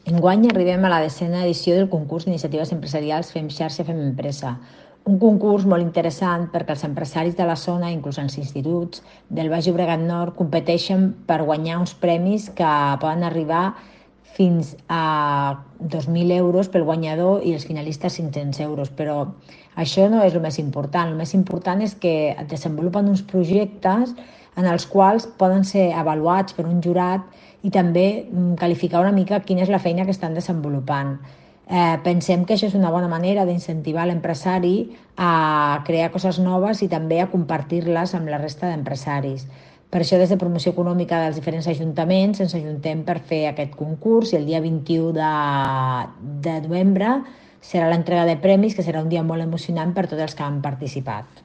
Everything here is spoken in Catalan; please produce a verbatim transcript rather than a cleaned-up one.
Enguany arribem a la desena edició del concurs d'iniciatives empresarials Fem Xarxa, Fem Empresa. Un concurs molt interessant perquè els empresaris de la zona, inclús els instituts del Baix Llobregat Nord, competeixen per guanyar uns premis que poden arribar fins a dos mil euros pel guanyador i els finalistes cinc-cents euros, però això no és el més important. El més important és que es desenvolupen uns projectes en els quals poden ser avaluats per un jurat i també qualificar una mica quina és la feina que estan desenvolupant. Eh, pensem que això és una bona manera d'incentivar l'empresari a crear coses noves i també a compartir-les amb la resta d'empresaris. Per això, des de Promoció Econòmica dels diferents ajuntaments, ens ajuntem per fer aquest concurs i el dia vint-i-u de, de novembre serà l'entrega de premis, que serà un dia molt emocionant per tots els que han participat.